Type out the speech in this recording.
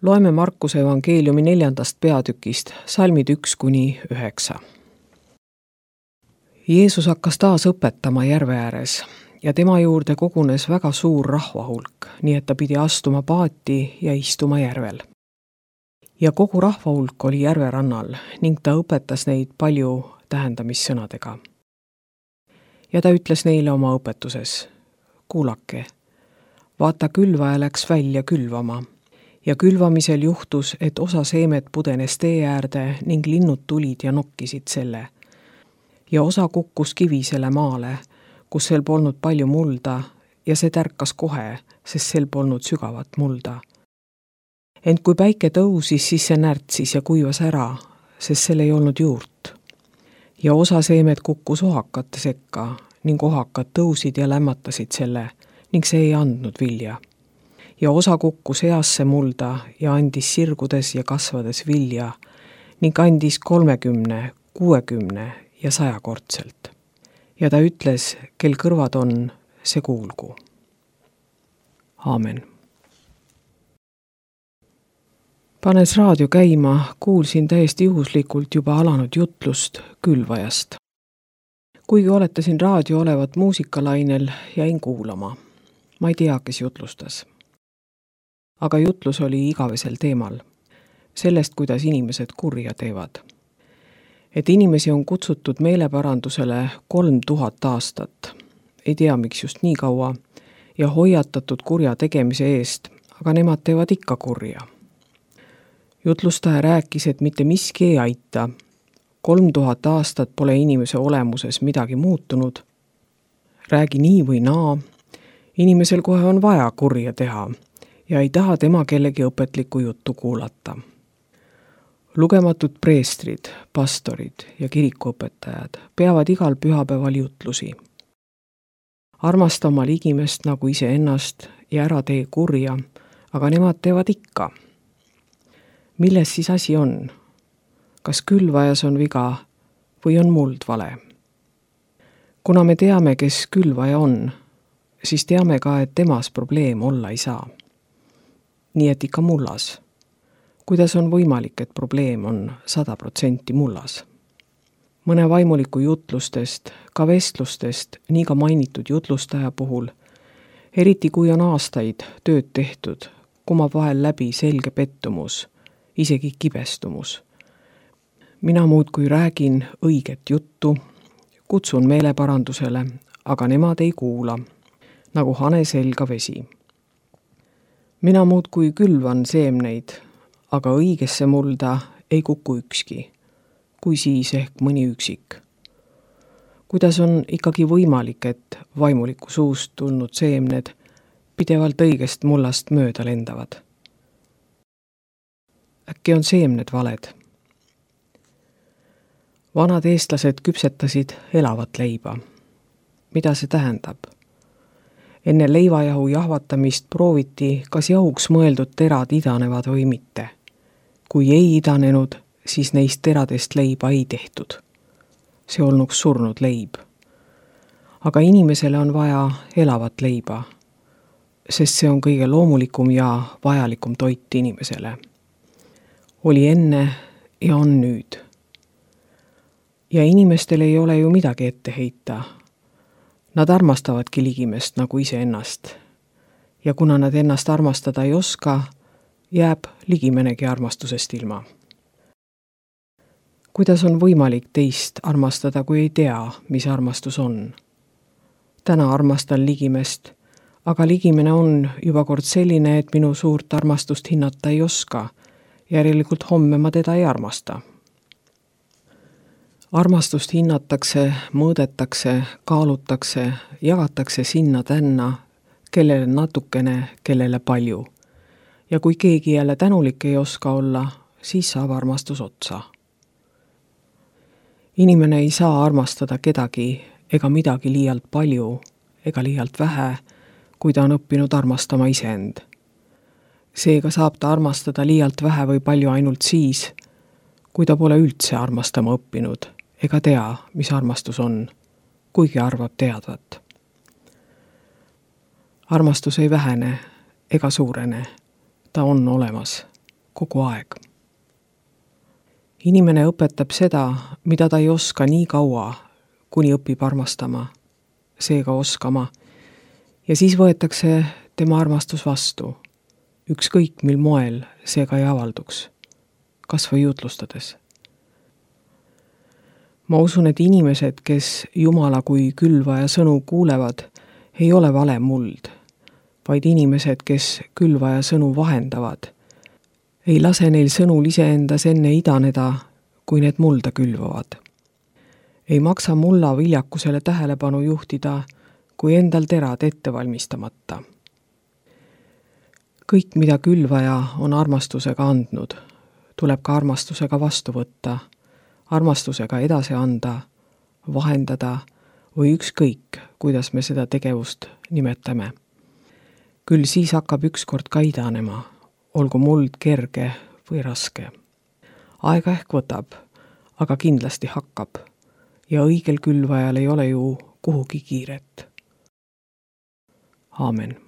Loeme Markuse evangeeliumi 4. peatükist, salmid 1–9. Jeesus hakkas taas õpetama järve ääres ja tema juurde kogunes väga suur rahvahulk, nii et ta pidi astuma paati ja istuma järvel. Ja kogu rahvahulk oli järve rannal ning ta õpetas neid palju tähendamissõnadega. Ja ta ütles neile oma õpetuses: kuulake, vaata, külvaja läks välja külvama. Ja külvamisel juhtus, et osa seemet pudenes tee äärde ning linnud tulid ja nokkisid selle. Ja osa kukkus kivisele maale, kus sel polnud palju mulda, ja see tärkas kohe, sest sel polnud sügavat mulda. Ent kui päike tõusis, siis see närtsis ja kuivas ära, sest sel ei olnud juurt. Ja osa seemet kukkus ohakate sekka ning ohakad tõusid ja lämmatasid selle ning see ei andnud vilja. Ja osa kukkus heasse mulda ja andis sirgudes ja kasvades vilja ning andis 30, 60 ja 100-kordselt. Ja ta ütles, kel kõrvad on, see kuulgu. Aamen. Panes raadio käima, kuulsin täiesti juhuslikult juba alanud jutlust külvajast. Kuigi oletasin raadio olevat muusikalainel, jäin kuulama. Ma ei tea, kes jutlustas. Aga jutlus oli igavesel teemal. Sellest, kuidas inimesed kurja teevad. Et inimesi on kutsutud meeleparandusele 3000 aastat. Ei tea, miks just nii kaua. Ja hoiatatud kurja tegemise eest, aga nemad teevad ikka kurja. Jutlustaja rääkis, et mitte miski ei aita. 3000 aastat pole inimese olemuses midagi muutunud. Räägi nii või naa. Inimesel kohe on vaja kurja teha ja ei taha tema kellegi õpetlikku juttu kuulata. Lugematud preestrid, pastorid ja kirikuõpetajad peavad igal pühapäeval jutlusi. Armasta oma ligimest nagu iseennast ja ära tee kurja, aga nemad teevad ikka. Milles siis asi on? Kas külvajas on viga või on muld vale? Kuna me teame, kes külvaja on, siis teame ka, et temas probleem olla ei saa. Nii et ikka mullas. Kuidas on võimalik, et probleem on 100% mullas? Mõne vaimuliku jutlustest, ka vestlustest, nii ka mainitud jutlustaja puhul, eriti kui on aastaid tööd tehtud, kumab vahel läbi selge pettumus, isegi kibestumus. Mina muudkui räägin õiget juttu, kutsun meeleparandusele, aga nemad ei kuula, nagu hane selga vesi. Mina muudkui külvan seemneid, aga õigesse mulda ei kuku ükski, kui siis ehk mõni üksik. Kuidas on ikkagi võimalik, et vaimuliku suust tulnud seemned pidevalt õigest mullast mööda lendavad? Äkki on seemned valed? Vanad eestlased küpsetasid elavat leiba. Mida see tähendab? Enne leivajahu jahvatamist prooviti, kas jahuks mõeldud terad idanevad või mitte. Kui ei idanenud, siis neist teradest leiba ei tehtud. See olnuks surnud leib. Aga inimesele on vaja elavat leiba, sest see on kõige loomulikum ja vajalikum toit inimesele. Oli enne ja on nüüd. Ja inimestel ei ole ju midagi ette heita. Nad armastavadki ligimest nagu iseennast. Ja kuna nad ennast armastada ei oska, jääb ligimenegi armastusest ilma. Kuidas on võimalik teist armastada, kui ei tea, mis armastus on? Täna armastan ligimest, aga ligimene on juba kord selline, et minu suurt armastust hinnata ei oska. Järelikult homme ma teda ei armasta. Armastust hinnatakse, mõõdetakse, kaalutakse, jagatakse sinna tänna, kellele natukene, kellele palju. Ja kui keegi jälle tänulik ei oska olla, siis saab armastus otsa. Inimene ei saa armastada kedagi ega midagi liialt palju ega liialt vähe, kui ta on õppinud armastama iseend. Seega saab ta armastada liialt vähe või palju ainult siis, kui ta pole üldse armastama õppinud ega tea, mis armastus on, kuigi arvab teadvat. Armastus ei vähene ega suurene, ta on olemas kogu aeg. Inimene õpetab seda, mida ta ei oska nii kaua, kuni õpib armastama, seega oskama, ja siis võetakse tema armastus vastu, ükskõik mil moel seega ei avalduks, kas või jutlustades. Ma usun, et inimesed, kes Jumala kui külvaja sõnu kuulevad, ei ole vale muld, vaid inimesed, kes külvaja sõnu vahendavad, ei lase neil sõnul iseendas enne idaneda, kui need mulda külvavad. Ei maksa mulla viljakusele tähelepanu juhtida, kui endal terad ette valmistamata. Kõik, mida külvaja on armastusega andnud, tuleb ka armastusega vastu võtta, armastusega edasi anda, vahendada või ükskõik, kuidas me seda tegevust nimetame. Küll siis hakkab ükskord ka idanema, olgu muld kerge või raske. Aega ehk võtab, aga kindlasti hakkab ja õigel külvajal ei ole ju kuhugi kiiret. Aamen.